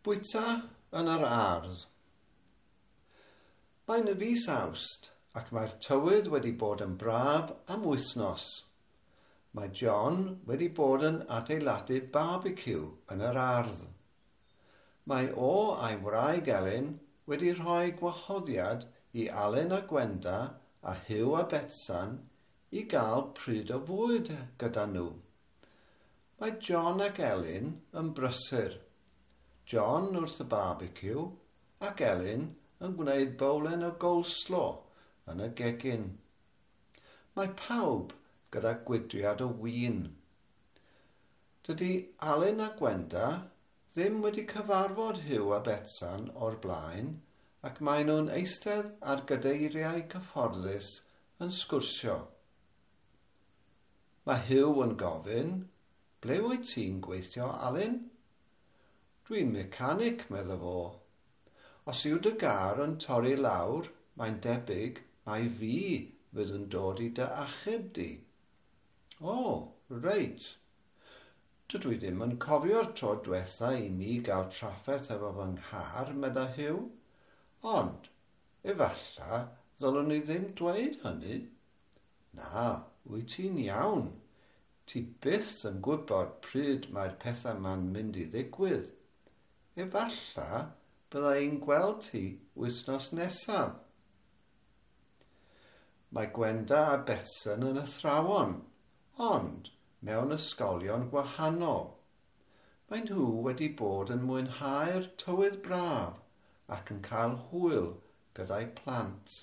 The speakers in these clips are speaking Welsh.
Bwyta yn yr ardd. Mae'n fis Awst ac mae'r tywydd wedi bod yn braf am wythnos. Mae John wedi bod yn adeiladu barbeciw yn yr ardd. Mae o a'i wraig Elin wedi rhoi gwahoddiad i Alun a Gwenda a Huw a Betsan i gael pryd o fwyd gyda nhw. Mae John ac Elin yn brysur. John wrth y barbeciw ac Elin yn gwneud bowlen o goleslaw yn y gegin. Mae pawb gyda gwydriad o win. Dydy Alun a Gwenda ddim wedi cyfarfod Huw a Betsan o'r blaen ac maen nhw'n eistedd ar gadeiriau cyfforddus yn sgwrsio. Mae Huw yn gofyn, ble wyt ti'n gweithio, Alun? Dwi'n mecanic, medda fo. Os yw dy gar yn torri lawr, mae'n debyg mai fi fydd yn dod i dy achub di. O, reit. Dydw i ddim yn cofio'r tro diwetha i mi gael trafferth efo fy nghar, medda Huw. Ond, efalla, ddylwn i ddim dweud hynny. Na, wyt ti'n iawn. Ti byth yn gwybod pryd mae'r pethau ma'n mynd i ddigwydd. Efalla bydda i'n gweld ti wythnos nesaf. Mae Gwenda a Betsan yn athrawon, ond mewn ysgolion gwahanol. Mae nhw wedi bod yn mwynhau'r tywydd braf ac yn cael hwyl gyda'i plant.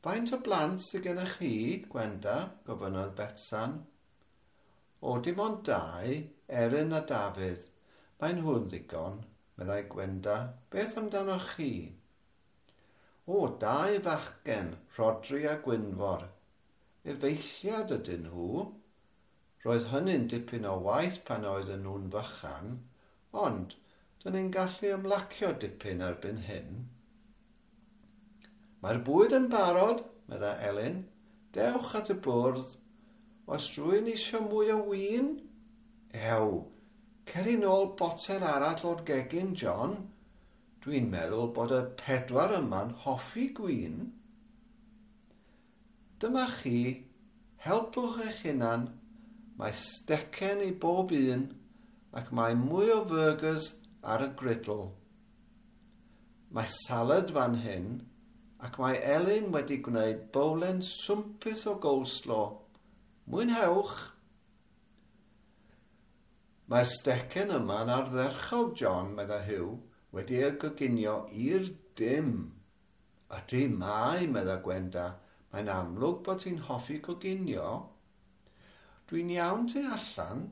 Faint o blant sydd gennych chi, Gwenda? Gofynnodd Betsan. O, dim ond dau, Erin a Dafydd. Mae nhw'n ddigon, meddai Gwenda. Beth amdanoch chi? O, dau fachgen, Rhodri a Gwynfor. Efeilliad ydyn nhw. Roedd hynny'n dipyn o waith pan oedden nhw'n fychan, ond dyn ni'n gallu ymlacio dipyn erbyn hyn. Mae'r bwyd yn barod, meddai Elin. Dewch at y bwrdd. Oes rhywun eisiau mwy o win? Ew, cer i nôl botel arall o'r gegin, John. Dwi'n meddwl bod y pedwar yma'n hoffi gwin. Dyma chi, helpwch eich hunan. Mae stecen i bob un ac mae mwy o fyrgers ar y griddle. Mae salad fan hyn ac mae Elin wedi gwneud bowlen swmpus o goleslaw. Mwynhewch! Mae'r stecen yma'n ardderchog, John, meddai Huw, wedi ei goginio i'r dim. Ydy, mae, meddai Gwenda, mae'n amlwg bod ti'n hoffi coginio. Dwi'n iawn tu allan.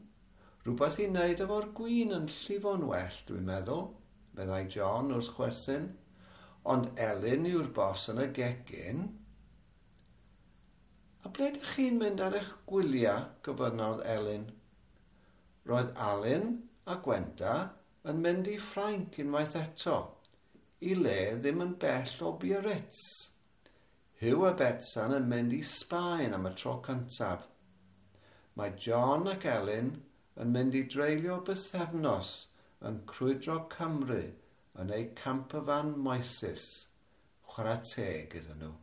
Rhywbeth i wneud efo'r gwin yn llifo'n well, dwi'n meddwl, meddai John wrth chwerthin. Ond Elin yw'r bos yn y gegin. A ble ydych chi'n mynd ar eich gwyliau, gofynnodd Elin. Roedd Alun a Gwenda yn mynd i Ffrainc unwaith eto, i le ddim yn bell o Biarritz. Huw a Betsan yn mynd i Sbaen am y tro cyntaf. Mae John ac Elin yn mynd i dreulio bythefnos yn crwydro Cymru yn eu campervan moethus. Chwarae teg iddyn nhw.